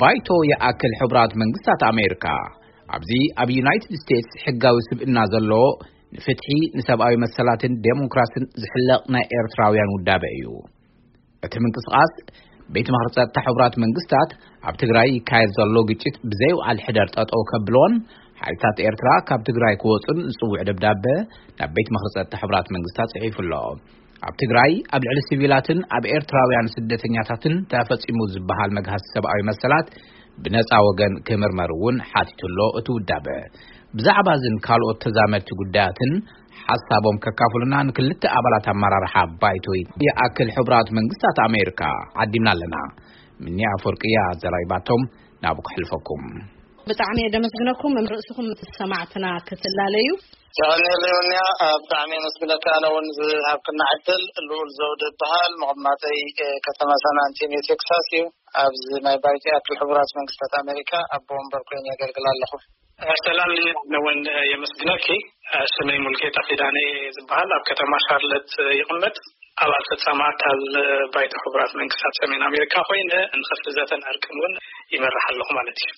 ባይቶ ይኣክል ሕቡራት መንግስታት ኣሜሪካ ኣብዚ ኣብ ዩናይትድ ስቴትስ ሕጋዊ ስብእና ዘለዎ ንፍትሒ፣ ንሰብኣዊ መሰላትን ዴሞክራስን ዝሕለቕ ናይ ኤርትራውያን ውዳበ እዩ። እቲ ምንቅስቓስ ቤት ምኽሪ ጸጥታ ሕቡራት መንግስታት ኣብ ትግራይ ይካየድ ዘሎ ግጭት ብዘይውዓል ሕደር ጠጠው ከብልዎን ሓይልታት ኤርትራ ካብ ትግራይ ክወጹን ዝጽውዕ ደብዳበ ናብ ቤት ምኽሪ ጸጥታ ሕቡራት መንግስታት ጽሒፉ ኣሎ። ኣብ ትግራይ ኣብ ልዕሊ ሲቪላትን ኣብ ኤርትራውያን ስደተኛታትን ተፈጺሙ ዝበሃል መግሃስ ሰብኣዊ መሰላት ብነጻ ወገን ክምርመር እውን ሓቲቱ ኣሎ። እቲ ውዳበ ብዛዕባ እዝን ካልኦት ተዛመድቲ ጉዳያትን ሓሳቦም ከካፍሉና ንክልተ ኣባላት ኣመራርሓ ባይቶ ይኣክል ሕቡራት መንግስታት ኣሜሪካ ዓዲምና ኣለና። ምኒ ኣፈወርቅያ ዘራይባቶም ናብ ክሕልፈኩም። ብጣዕሚ እየ ደመስግነኩም። ርእስኹም ምስ ሰማዕትና ክትላለዩ። የቐንየለይ ወንያ፣ ብጣዕሚ የመስግነካ። ኣነ እውን ዝሃብክና ዕድል። ልኡል ዘውደ ይበሃል። መቐማጠይ፣ እ፣ ከተማ ሳን ኣንቶኒዮ ቴክሳስ እዩ። ኣብዚ ናይ ባይቶ ይኣክል ሕቡራት መንግስታት ኣሜሪካ ኣቦ ወንበር ኮይነ የገልግል ኣለኹ። ሰላም፣ ኣነ እውን የመስግነኪ። ስመይ ሙልጌታ ኪዳነ ዝበሃል፣ ኣብ ከተማ ሻርለት ይቕመጥ። ኣባል ፈጻሚ ኣካል ባይቶ ሕቡራት መንግስታት ሰሜን ኣሜሪካ ኮይነ ንኸፍቲ ዘተን ዕርቅን እውን ይመርሕ ኣለኹ ማለት እዩ።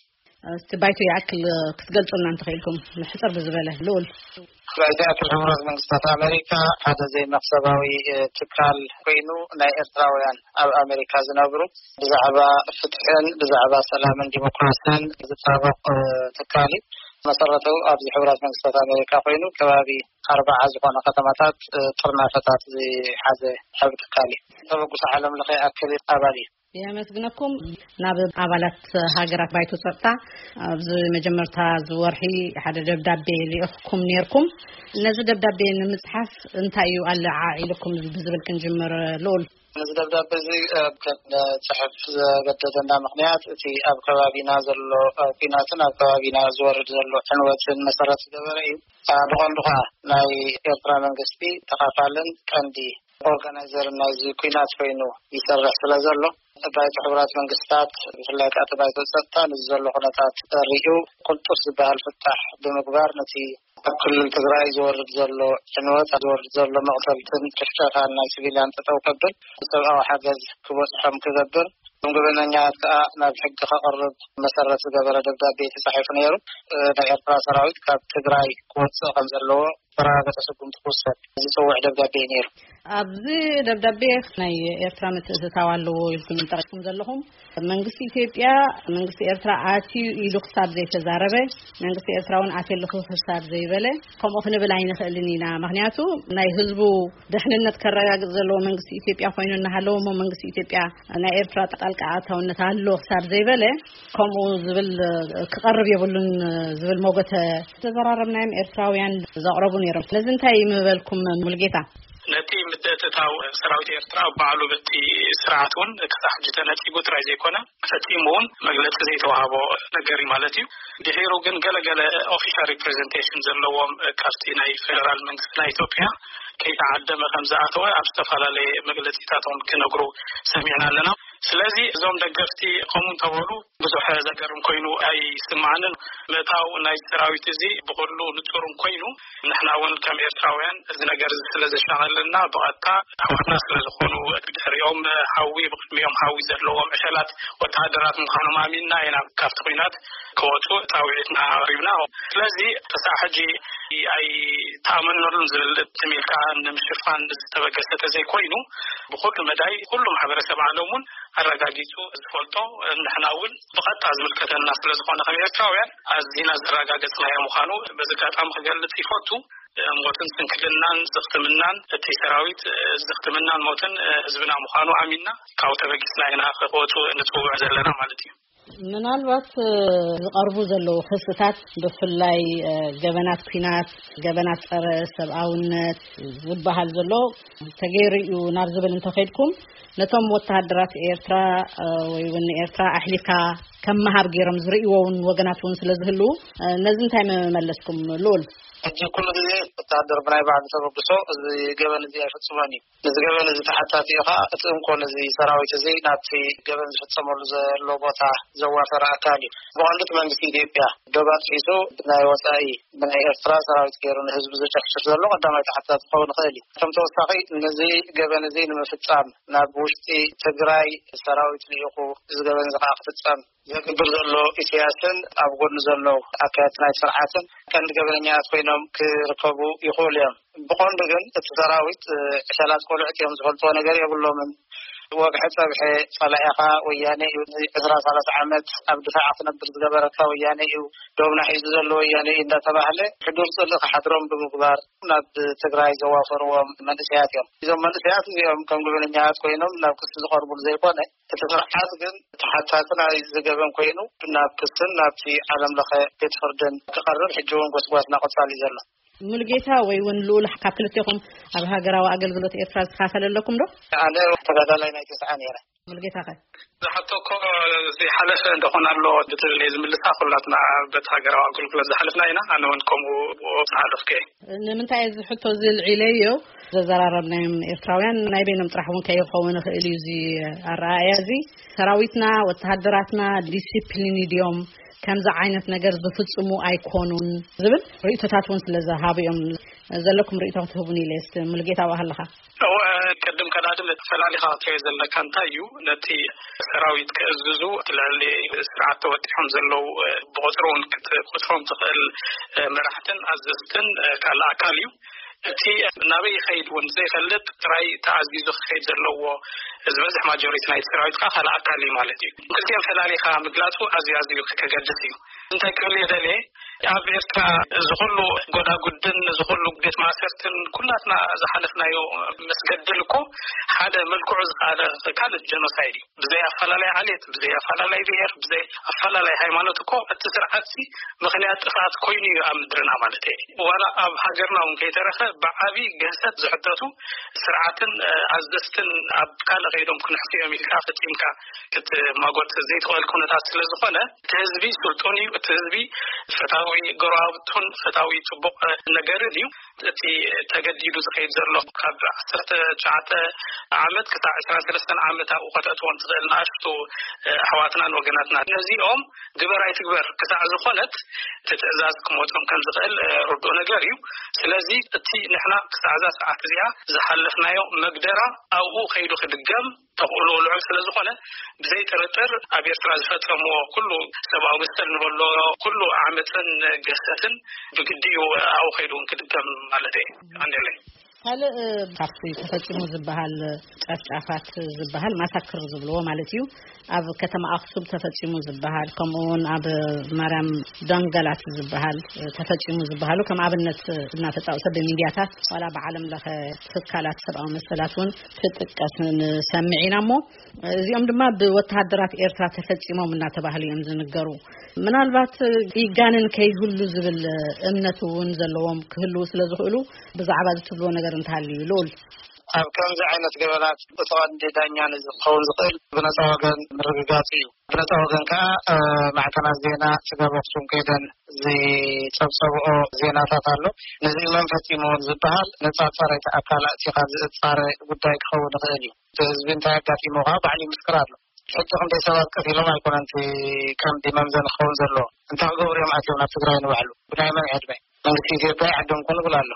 እስቲ ባይቶ ይኣክል ክትገልጹልና እንተኽኢልኩም፣ ሕጽር ብዝበለ። ልኡል። ባይቶ ይኣክል ሕቡራት መንግስታት ኣሜሪካ ሓደ ዘይመኽሰባዊ፣ እ፣ ትካል ኮይኑ ናይ ኤርትራውያን ኣብ ኣሜሪካ ዝነብሩ ብዛዕባ ፍትሕን ብዛዕባ ሰላምን ዲሞክራስን ዝጣበቕ፣ እ፣ ትካል እዩ። መሰረቱ ኣብዚ ሕቡራት መንግስታት ኣሜሪካ ኮይኑ ከባቢ ኣርባዓ ዝኾነ ከተማታት፣ እ፣ ጥርናፈታት ዝሓዘ ዓቢ ትካል እዩ። ተበግሶ ዓለም ለኸ ኣክል ኣባል እዩ። የመስግነኩም። ናብ ኣባላት ሃገራት ባይቶ ጸጥታ ኣብዚ መጀመርታ ዝወርሒ ሓደ ደብዳቤ ልኢኽኩም ነይርኩም። ነዚ ደብዳቤ ንምጽሓፍ እንታይ እዩ ኣለዓዒልኩም ብዝብል ክንጅምር። ልኡል። ነዚ ደብዳቤ እዚ፣ እ፣ ክንጽሕፍ ዘገደደና ምኽንያት እቲ ኣብ ከባቢና ዘሎ፣ እ፣ ኲናትን ኣብ ከባቢና ዝወርድ ዘሎ ዕንወትን መሰረት ዝገበረ እዩ። እ፣ ብቐንዱ ኸኣ ናይ ኤርትራ መንግስቲ ተኻፋልን ቀንዲ ኦርጋናይዘርን ናይዚ ኲናት ኮይኑ ይሰርሕ ስለ ዘሎ፣ ባይቶ ሕቡራት መንግስታት ብፍላይ ከኣ እቲ ባይቶ ጸጥታ ነዚ ዘሎ ኩነታት ርእዩ ቅልጡፍ ዝበሃል ፍታሕ ብምግባር ነቲ ኣብ ክልል ትግራይ ዝወርድ ዘሎ ዕንወት፣ ዝወርድ ዘሎ መቕተልትን ጭፍጨፋን ናይ ሲቪልያን ጠጠው ከብል፣ ሰብኣዊ ሓገዝ ክበጽሖም ክገብር፣ እቶም ገበነኛታት ከኣ ናብ ሕጊ ከቕርብ መሰረት ዝገበረ ደብዳቤ ተጻሒፉ ነይሩ። እ፣ ናይ ኤርትራ ሰራዊት ካብ ትግራይ ክወጽእ ከም ዘለዎ ዝተረጋገጸ ስጉምቲ ክውሰድ ዝጽውዕ ደብዳቤ እዩ ነይሩ። ኣብዚ ደብዳቤ ናይ ኤርትራ ምትእትታው ኣለዎ ኢልኩም ጠቒስኩም ዘለኹም። መንግስቲ ኢትዮጵያ፣ መንግስቲ ኤርትራ ኣትዩ ኢሉ ክሳብ ዘይተዛረበ፣ መንግስቲ ኤርትራ እውን ኣትየለኹ ክሳብ ዘይበለ፣ ከምኡ ክንብል ኣይንኽእልን ኢና። ምኽንያቱ ናይ ህዝቡ ድሕንነት ከረጋግጽ ዘለዎ መንግስቲ ኢትዮጵያ ኮይኑ እናሃለወ፣ እሞ መንግስቲ ኢትዮጵያ ናይ ኤርትራ ጣልቃ ኣታውነት ኣሎ ክሳብ ዘይበለ፣ ከምኡ ዝብል ክቐርብ የብሉን ዝብል ሞገተ ተዘራረብናዮም ኤርትራውያን ዘቕረቡ ነይሮም። ስለዚ እንታይ ምበልኩም ሙልጌታ? ነቲ ምትእትታው ሰራዊት ኤርትራ ባዕሉ በቲ ስርዓት እውን ክሳብ ሕጂ ተነጺጉ ጥራይ ዘይኮነ፣ ፈጺሙ እውን መግለጺ ዘይተዋህቦ ነገር እዩ ማለት እዩ። ድሒሩ ግን ገለገለ ኦፊሻል ሪፕሬዘንቴሽን ዘለዎም ካብቲ ናይ ፌደራል መንግስቲ ናይ ኢትዮጵያ ከይተዓደመ ከም ዝኣተወ ኣብ ዝተፈላለየ መግለጺታቶም ክነግሩ ሰሚዕና ኣለና። ስለዚ እዞም ደገፍቲ ከምኡ እንተበሉ ብዙሕ ዘገርም ኮይኑ ኣይስምዓንን። ምእታው ናይ ሰራዊት እዚ ብኹሉ ንጹርን ኮይኑ፣ ንሕና እውን ከም ኤርትራውያን እዚ ነገር እዚ ስለ ዘሻቐለና ብቐጥታ ኣሕዋትና ስለ ዝኾኑ፣ ብድሕሪኦም ሓዊ፣ ብቕድሚኦም ሓዊ ዘለዎም ዕሸላት ወተሃደራት ምዃኖም ኣሚንና ኢና ካብቲ ኲናት ክወጹ ጻውዒትና ኣቕሪብና። ስለዚ ክሳዕ ሕጂ ኣይተኣመነሉን ዝብል ትም ኢልካ ንምሽፋን ዝተበገሰ ተዘይኮይኑ፣ ብኹሉ መዳይ ኩሉ ማሕበረሰብ ዓለም እውን ኣረጋጊጹ ዝፈልጦ፣ ንሕና እውን ብቐጥታ ዝምልከተና ስለ ዝኾነ ከም ኤርትራውያን ኣዚና ዘረጋገጽናዮ ምዃኑ በዚ ኣጋጣሚ ክገልጽ ይፈቱ። ሞትን ስንክልናን ዝኽትምናን እቲ ሰራዊት ዝኽትምናን ሞትን ህዝብና ምዃኑ ኣሚንና ካብኡ ተበጊስና ኢና ክወጹ ንጽውዕ ዘለና ማለት እዩ። ምናልባት፣ እ፣ ዝቐርቡ ዘለዉ ክስታት ብፍላይ፣ እ፣ ገበናት ኲናት፣ ገበናት ጸረ ሰብኣውነት ዝበሃል ዘሎ ተገይሩ እዩ ናብ ዝብል እንተኸድኩም፣ ነቶም ወተሃደራት ኤርትራ፣ እ፣ ወይ እውን ኤርትራ ኣሕሊፍካ ከም ምሃብ ገይሮም ዝርእይዎ እውን ወገናት እውን ስለ ዝህልዉ፣ እ፣ ነዚ እንታይ መመለስኩም? ልኡል። ሕጂ ኩሉ ግዜ ወተሃደር ብናይ ባዕሉ ተበግሶ እዚ ገበን እዚ ኣይፍጽሞን እዩ። ነዚ ገበን እዚ ተሓታቲ እዩ ኸዓ እቲ እንኮ ነዚ ሰራዊት እዚ ናብቲ ገበን ዝፍጸመሉ ዘሎ ቦታ ዘዋፈረ ኣካል እዩ። ብቐንዱ እቲ መንግስቲ ኢትዮጵያ ዶብ ኣጥሒሱ ብናይ ወጻኢ፣ ብናይ ኤርትራ ሰራዊት ገይሩ ንህዝቢ ዝጭፍጭፍ ዘሎ ቀዳማይ ተሓታቲ ክኸውን ይኽእል እዩ። ከም ተወሳኺ ነዚ ገበን እዚ ንምፍጻም ናብ ውሽጢ ትግራይ ሰራዊት ልኢኹ እዚ ገበን እዚ ኸዓ ክፍጸም ዘግብር ዘሎ ኢሳያስን ኣብ ጎኑ ዘሎ ኣካየድቲ ናይ ስርዓትን ቀንዲ ገበነኛታት ኮይኖም ክርከቡ ይኽእሉ እዮም። ብቐንዱ ግን እቲ ሰራዊት፣ እ፣ ዕሸላት ቆልዑት እዮም፣ ዝፈልጥዎ ነገር የብሎምን። ወግሐ ጸብሐ ጸላኢኻ ወያነ እዩ፣ ን ዕስራ ሰላሳ ዓመት ኣብ ድፋዕ ክነብር ዝገበረካ ወያነ እዩ፣ ዶብና ሒዙ ዘሎ ወያነ እዩ እንዳተባህለ ሕዱር ጽልኢ ክሓድሮም ብምግባር ናብ ትግራይ ዘዋፈርዎም መንእሰያት እዮም። እዞም መንእሰያት እዚኦም ከም ገበነኛታት ኮይኖም ናብ ክሲ ዝቐርቡሉ ዘይኮነ፣ እቲ ስርዓት ግን ተሓታቲ ናይዚ ገበን ኮይኑ ናብ ክስን ናብቲ ዓለም ለኸ ቤት ፍርድን ክቐርብ ሕጂ እውን ጎስጓስ እናቐጻሉ እዩ ዘሎ። ሙሉጌታ ወይ እውን ልኡል፣ ካብ ክልቴኹም ኣብ ሃገራዊ ኣገልግሎት ኤርትራ ዝተኻፈለ ኣለኩም ዶ? ኣነ ተጋዳላይ ናይ ተስዓ ነይረ። ሙሉጌታ ኸ? ዝሓቶ እኮ ዘይሓለፈ እንደኾነ ኣሎ ብትብል እየ ዝምልሳ። ኩላትና በቲ ሃገራዊ ኣገልግሎት ዝሓለፍና ኢና። ኣነ እውን ከምኡ ዝሓለፍኩ እየ። ንምንታይ እዚ ሕቶ እዚ ልዒለዮ? ዘዘራረብናዮም ኤርትራውያን ናይ በይኖም ጥራሕ እውን ከይኸውን ይኽእል እዩ እዚ ኣረኣእያ እዚ። ሰራዊትና፣ ወተሃደራትና ዲሲፕሊን ድዮም፣ ከምዚ ዓይነት ነገር ዝፍጽሙ ኣይኮኑን ዝብል ርእይቶታት እውን ስለ ዝሃቡ እዮም። ዘለኩም ርእይቶ ክትህቡን ኢለ እስቲ። ሙሉጌታ፣ ኣብኣ ኣለኻ? እወ፣ ቅድም ቀዳድም እቲ ፈላሊኻ ክትሪኦ ዘለካ እንታይ እዩ፣ ነቲ ሰራዊት ክእዝዙ እቲ ልዕሊ ስርዓት ተወጢሖም ዘለዉ፣ እ፣ ብቁጽሪ እውን ክትቁጽሮም ትኽእል፣ እ፣ መራሕትን ኣዘዝትን፣ እ፣ ካልእ ኣካል እዩ። እቲ ናበይ ይኸይድ እውን ዘይፈልጥ ጥራይ ተኣዚዙ ክኸይድ ዘለዎ ዝበዝሕ ማጆሪቲ ናይቲ ሰራዊት ከዓ ካልእ ኣካል እዩ ማለት እዩ። ክልቲኦም ፈላሊኻ ምግላጹ ኣዝዩ ኣዝዩ ከገድስ እዩ። እንታይ ክብል እየ ደልየ፣ ኣብ ኤርትራ እዚ ኩሉ ጎዳጉድን እዚ ኩሉ ቤት ማእሰርትን ኩላትና ዝሓለፍናዮ መስገድል እኮ ሓደ መልክዑ ዝኸኣለ ካልእ ጀኖሳይድ እዩ። ብዘይ ኣፈላላይ ዓሌት፣ ብዘይ ኣፈላላይ ብሄር፣ ብዘይ ኣፈላላይ ሃይማኖት እኮ እቲ ስርዓት ሲ ምኽንያት ጥፍኣት ኮይኑ እዩ ኣብ ምድርና ማለት እዩ። ዋላ ኣብ ሃገርና እውን ከይተረፈ ብዓቢ ግህሰት ዝሕተቱ ስርዓትን፣ እ፣ ኣዘዝትን ኣብ ካልእ ከይዶም ክንሕስዮም ኢልካ ፈጺምካ ክትማጎት ዘይትኽእል ኩነታት ስለ ዝኾነ፣ እቲ ህዝቢ ስልጡን እዩ። እቲ ህዝቢ ፈታዊ ጎረባብቱን ፈታዊ ጽቡቕ ነገርን እዩ። እቲ ተገዲዱ ዝኸይድ ዘሎ ካብ ዓሰርተ ትሽዓተ ዓመት ክሳዕ ዕስራን ሰለስተን ዓመት ኣብኡ ከተእትዎም ትኽእል ንኣሽቱ፣ እ፣ ኣሕዋትናን ወገናትና። ነዚኦም ግበር ኣይትግበር ክሳዕ ዝኾነት እቲ ትእዛዝ ክመጾም ከም ዝኽእል፣ እ፣ ርዱእ ነገር እዩ። ስለዚ እቲ ንሕና ክሳዕ እዛ ሰዓት እዚኣ ዝሓለፍናዮ መግደራ ኣብኡ ከይዱ ክድገም ተኽእሎ ልዑል ስለ ዝኾነ፣ ብዘይ ጥርጥር ኣብ ኤርትራ ዝፈጸምዎ ኩሉ ሰብኣዊ መሰል ንበሎ ኩሉ ዓመጽን ግህሰትን ብግዲ እዩ ኣብኡ ከይዱ እውን ክድገም ማለት እየ። ቀንደለይ። ካልእ ካብቲ ተፈጺሙ ዝበሃል ጨፍጫፋት ዝበሃል ማሳክር ዝብልዎ ማለት እዩ፣ ኣብ ከተማ ኣኽሱም ተፈጺሙ ዝበሃል፣ ከምኡ እውን ኣብ ማርያም ደንገላት ዝበሃል ተፈጺሙ ዝበሃሉ ከም ኣብነት እናተጻወተ ብሚድያታት ዋላ ብዓለም ለኸ ትካላት ሰብኣዊ መሰላት እውን ክጥቀስ ንሰምዕ ኢና እሞ፣ እዚኦም ድማ ብወተሃደራት ኤርትራ ተፈጺሞም እናተባህሉ እዮም ዝንገሩ። ምናልባት ይጋንን ከይህሉ ዝብል እምነት እውን ዘለዎም ክህልዉ ስለ ዝኽእሉ፣ ብዛዕባ እዚ ትብልዎ ነገር እንተሃልዩ፣ ልኡል። ኣብ ከምዚ ዓይነት ገበናት እቲ ቀንዲ ዳኛ ንዝኸውን ዝኽእል ብነጻ ወገን ምርግጋጽ እዩ። ብነጻ ወገን ከኣ፣ እ፣ ማዕከናት ዜና ስጋብ ኣኽሱም ከይደን ዝጸብጸብኦ ዜናታት ኣሎ። ነዚ መን ፈጺምዎ ዝበሃል ነጻ ጻራይ ኣካል ኣእቲኻ ዝጻረ ጉዳይ ክኸውን ይኽእል እዩ። እቲ ህዝቢ እንታይ ኣጋጢምዎ ከኣ ባዕሉ ይምስክር ኣሎ። ሕጂ ክንደይ ሰባት ቀቲሎም ኣይኮነን እቲ ቀንዲ መምዘኒ ክኸውን ዘለዎ። እንታይ ክገብሩ እዮም ኣትዮም ናብ ትግራይ ንባዕሉ? ብናይ መን ዕድመ? መንግስቲ ኢትዮጵያ ይዓዶም ኮን ይብል ኣሎ።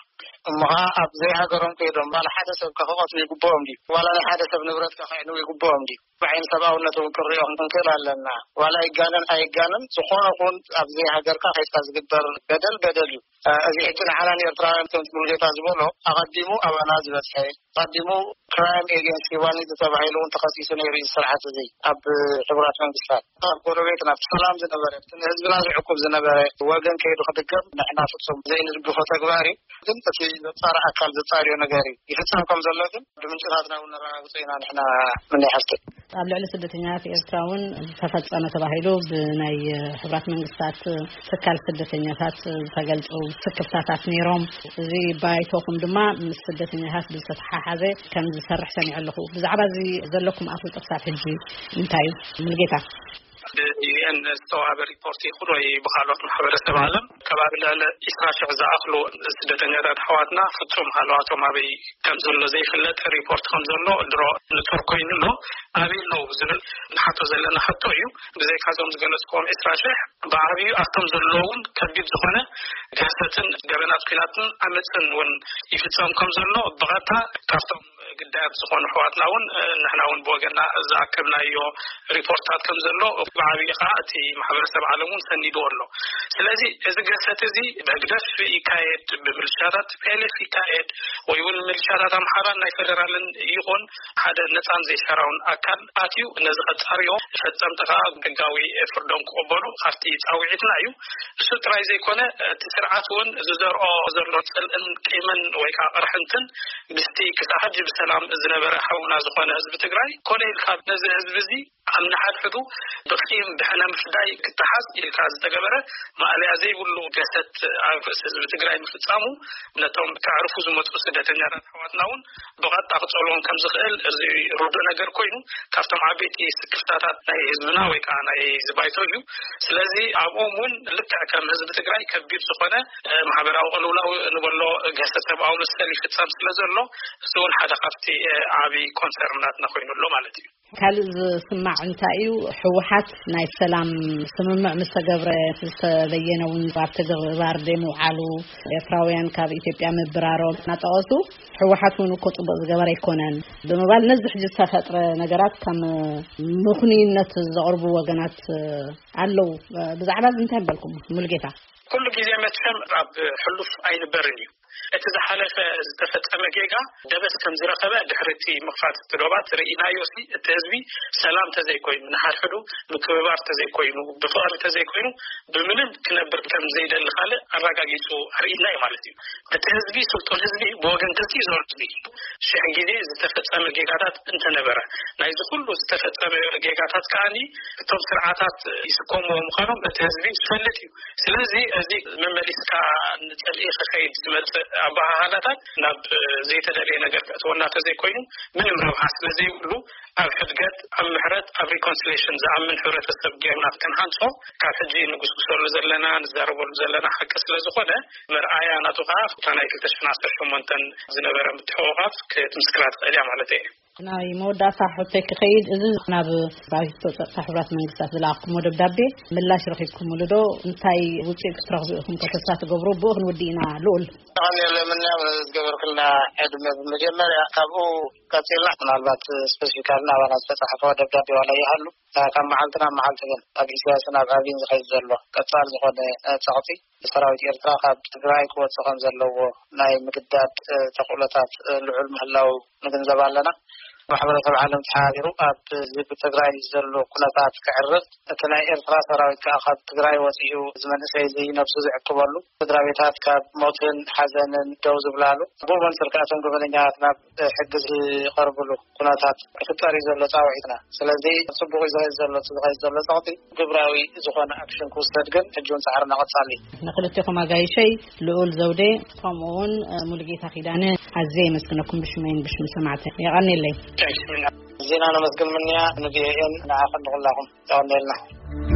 እሞ ኸዓ ኣብ ዘይሃገሮም ከይዶም ዋላ ሓደ ሰብ ከ ክቐትሉ ይግብኦም ድዩ? ዋላ ናይ ሓደ ሰብ ንብረት ከ ክዕንዉ ይግብኦም ድዩ? ብዓይኒ ሰብኣውነት እውን ክንሪኦ ክንክእል ኣለና። ዋላ ይጋነን ኣይጋነን፣ ዝኾነ ኹን ኣብ ዘይሃገርካ ከይድካ ዝግበር በደል በደል እዩ። እ፣ እዚ ሕጂ ንዓና ንኤርትራውያን ከምቲ ሙሉጌታ ዝበሎ ኣቐዲሙ ኣባና ዝበጽሐ፣ ኣቐዲሙ ክራይም ኤጌንስት ሂውማኒቲ ተባሂሉ እውን ተኸሲሱ ነይሩ እዩ ስርዓት እዚ ኣብ ሕቡራት መንግስታት። ኣብ ጎረቤት ናብቲ ሰላም ዝነበረ፣ እቲ ንህዝብና ዝዕቁብ ዝነበረ ወገን ከይዱ ክድገም ንሕና ፍጹም ዘይንድግፎ ተግባር እዩ። ግን እቲ ዘጻሪ ኣካል ዘጻርዮ ነገር እዩ። ይፍጸም ከም ዘሎ ግን ብምንጭታትና እውን ነረጋግጾ ኢና ንሕና ምንይ ሓፍቲ። ኣብ ልዕሊ ስደተኛታት ኤርትራ እውን ዝተፈጸመ ተባሂሉ ብናይ ሕቡራት መንግስታት ትካል ስደተኛታት ዝተገልጹ ስክፍታታት ነይሮም። እዚ ባይቶኹም ድማ ምስ ስደተኛታት ብዝተተሓሓዘ ከም ዝሰርሕ ሰሚዐ ኣለኹ። ብዛዕባ እዚ ዘለኩም ኣፍልጦ ክሳብ ሕጂ እንታይ እዩ? ሙሉጌታ። ብ ዩ ኤን ዝተዋህበ ሪፖርት ይኹን ወይ ብኻልኦት ማሕበረሰብ ዓለም ከባቢ ልዕሊ ዒስራ ሽሕ ዝኣኽሉ ስደተኛታት ኣሕዋትና ፍጹም ሃለዋቶም ኣበይ ከም ዘሎ ዘይፍለጥ ሪፖርት ከም ዘሎ ድሮ ንጹር ኮይኑ ኣሎ። ኣበይ ኣለዉ ዝብል ንሓቶ ዘለና ሕቶ እዩ። ብዘይካዞም ዝገለጽክዎም ዒስራ ሽሕ ብዓብዩ ኣብቶም ዘለዉ እውን ከቢድ ዝኾነ ግህሰትን ገበናት ኲናትን ዓመጽን እውን ይፍጸም ከም ዘሎ ብቐጥታ ካብቶም ግዳያት ዝኾኑ ኣሕዋትና እውን፣ እ፣ ንሕና እውን ብወገንና ዝኣከብናዮ ሪፖርታት ከም ዘሎ፣ ብዓብዪ ከዓ እቲ ማሕበረሰብ ዓለም እውን ሰኒድዎ ኣሎ። ስለዚ እዚ ገሰት እዚ ብህግደፍ ይካየድ፣ ብምልሻታት ፒ ኤል ኤፍ ይካየድ፣ ወይ እውን ምልሻታት ኣምሓራን ናይ ፌደራልን ይኹን ሓደ ነፃን ዘይሻራውን ኣካል ኣትዩ ነዚ ከጻርዮ፣ ፈጸምቲ ከዓ ሕጋዊ ፍርዶም ክቕበሉ ካብቲ ጻውዒትና እዩ። እሱ ጥራይ ዘይኮነ፣ እቲ ስርዓት እውን ዝዘርኦ ዘሎ ጽልእን ቂምን ወይ ከዓ ቅርሕንትን ምስቲ ክሳብ ሕጂ ብሰላም ዝነበረ ሓውና ዝኾነ ህዝቢ ትግራይ ኮነ ኢልካ ነዚ ህዝቢ እዚ ኣብ ንሓድሕዱ ብቂም ብሕነ ምፍዳይ ክተሓዝ ኢልካ ዝተገበረ ማእለያ ዘይብሉ ገሰት ኣብ ርእሲ ህዝቢ ትግራይ ምፍጻሙ ነቶም ከዕርፉ ዝመፁ ስደተኛታት ኣሕዋትና እውን ብቐጥታ ክጸልዎም ከም ዝኽእል እዚ ርዱእ ነገር ኮይኑ ካብቶም ዓበይቲ ስክፍታታት ናይ ህዝብና ወይ ከዓ ናይ ህዝቢ ባይቶ እዩ። ስለዚ ኣብኦም እውን ልክዕ ከም ህዝቢ ትግራይ ከቢድ ዝኾነ፣ እ፣ ማሕበራዊ ቅልውላው ንበሎ ገሰት ሰብኣዊ መሰል ይፍጸም ስለ ዘሎ እዚ እውን ሓደ ካብቲ፣ እ፣ ዓቢ ኮንሰርን ናትና ኮይኑ ኣሎ ማለት እዩ። ካልእ ዝስማዕ እንታይ እዩ? ህወሓት ናይ ሰላም ስምምዕ ምስ ተገብረ ዝተበየነ እውን ኣብ ተግባር ደይ ምውዓሉ፣ ኤርትራውያን ካብ ኢትዮጵያ ምብራሮም እናጠቐሱ ህወሓት እውን እኮ ጽቡቕ ዝገበረ ኣይኮነን ብምባል ነዚ ሕጂ ዝተፈጥረ ነገራት ከም ምኽንይነት ዘቕርቡ ወገናት ኣለዉ። ብዛዕባ እዚ እንታይ በልኩም ሙሉጌታ? ኩሉ ግዜ መቸም ኣብ ሕሉፍ ኣይንበርን እዩ። እቲ ዝሓለፈ ዝተፈጸመ ጌጋ ደበስ ከም ዝረኸበ ድሕሪ እቲ ምኽፋት እቲ ዶባት ርኢናዮ ሲ እቲ ህዝቢ ሰላም ተዘይኮይኑ፣ ንሓድሕዱ ምክብባር ተዘይኮይኑ፣ ብፍቕሪ ተዘይኮይኑ ብምንም ክነብር ከም ዘይደሊ ካልእ ኣረጋጊጹ ኣርኢና እዩ ማለት እዩ። እቲ ህዝቢ ስልጡን ህዝቢ ብወገን ክልቲኡ ዘሎ ህዝቢ ሽሕ ግዜ ዝተፈጸመ ጌጋታት እንተነበረ ናይዚ ኩሉ ዝተፈጸመ ጌጋታት ከዓኒ እቶም ስርዓታት ይስከምዎ ምዃኖም እቲ ህዝቢ ዝፈልጥ እዩ። ስለዚ እዚ መመሊስካ ንጽልኢ ክኸይድ ዝመጽእ ኣበሃህላታት ናብ ዘይተደለየ ነገር ከእትወና ተዘይኮይኑ ምንም ረብሓ ስለ ዘይብሉ ኣብ ሕድገት፣ ኣብ ምሕረት፣ ኣብ ሪኮንሲሌሽን ዝኣምን ሕብረተሰብ ጌርና ክንሃንጾ ካብ ሕጂ ንጉስጉሰሉ ዘለና ንዛረበሉ ዘለና ሓቂ ስለ ዝኾነ መርኣያ ናቱ ከዓ ኣብታ ናይ ክልተ ሽሕን ዓሰርተ ሸሞንተን ዝነበረ ምትሕቑቓፍ ክትምስክራ ትኽእል እያ ማለት እየ። ናይ መወዳእታ ሕቶይ ክኸይድ፣ እዚ ናብ ባይቶ ጸጥታ ሕቡራት መንግስታት ዝለኣኽኩሞ ደብዳቤ ምላሽ ረኺብኩምሉ ዶ? እንታይ ውጽኢት ክትረኽቡ ኢኹም ተስፋ ትገብሩ? ብኡ ክንውድእ ኢና። ልኡል። ኣነ ለምንያም ዝገበርክልና ዕድመ ብመጀመርያ ካብኡ ቀጺልና ምናልባት ስፔሲፊካሊ ናባና ዝተጻሕፈ ደብዳቤ ዋላ ይሃሉ፣ ካብ መዓልቲ ናብ መዓልቲ ግን ኣብ ኢሳያስን ኣብ ኣብይን ዝኸይድ ዘሎ ቀጻል ዝኾነ ጸቕጢ ሰራዊት ኤርትራ ካብ ትግራይ ክወጽእ ከም ዘለዎ ናይ ምግዳድ፣ እ፣ ተኽእሎታት፣ እ፣ ልዑል ምህላው ንግንዘብ ኣለና። ማሕበረሰብ ዓለም ተሓባቢሩ ኣብ ህዝቢ ትግራይ ዘሎ ኩነታት ክዕርፍ፣ እቲ ናይ ኤርትራ ሰራዊት ከኣ ካብ ትግራይ ወጺኡ እዚ መንእሰይ እዚ ነብሱ ዝዕቅበሉ፣ ስድራ ቤታት ካብ ሞትን ሓዘንን ደው ዝብላሉ፣ ብኡ መንጽር ከኣ እቶም ገበነኛታት ናብ ሕጊ ዝቐርብሉ ኩነታት ክፍጠር እዩ ዘሎ ጻውዒትና። ስለዚ ጽቡቕ እዩ ዝኸይድ ዘሎ፣ እቲ ዝኸይድ ዘሎ ጸቕጢ ግብራዊ ዝኾነ ኣክሽን ክውሰድ ግን ሕጂ እውን ጻዕርና ቀጻሊ እዩ። ንክልቴኹም ኣጋይሸይ ልኡል ዘውዴ ከምኡ እውን፣ እ፣ ሙሉጌታ ኪዳነ ኣዝየ የመስግነኩም ብሽመይን ብሽም ሰማዕተ። የቐንየለይ። ዜና ነመስግን ምንያ ንቪኦኤን ንዓኹም ንኹላኹም የቐንየልና።